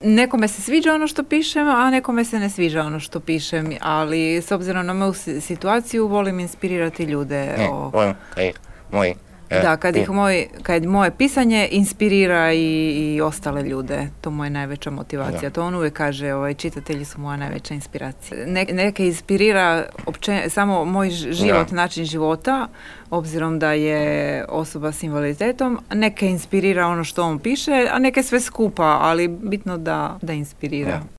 Nekome se sviđa ono što pišem, a nekome se ne sviđa ono što pišem, ali s obzirom na moju situaciju volim inspirirati ljude. Kad moje pisanje inspirira i ostale ljude, to moja najveća motivacija. To on uvijek kaže, čitatelji su moja najveća inspiracija. Neke inspirira samo moj život, način života, obzirom da je osoba s invaliditetom, neke inspirira ono što on piše, a neke sve skupa, ali bitno da inspirira.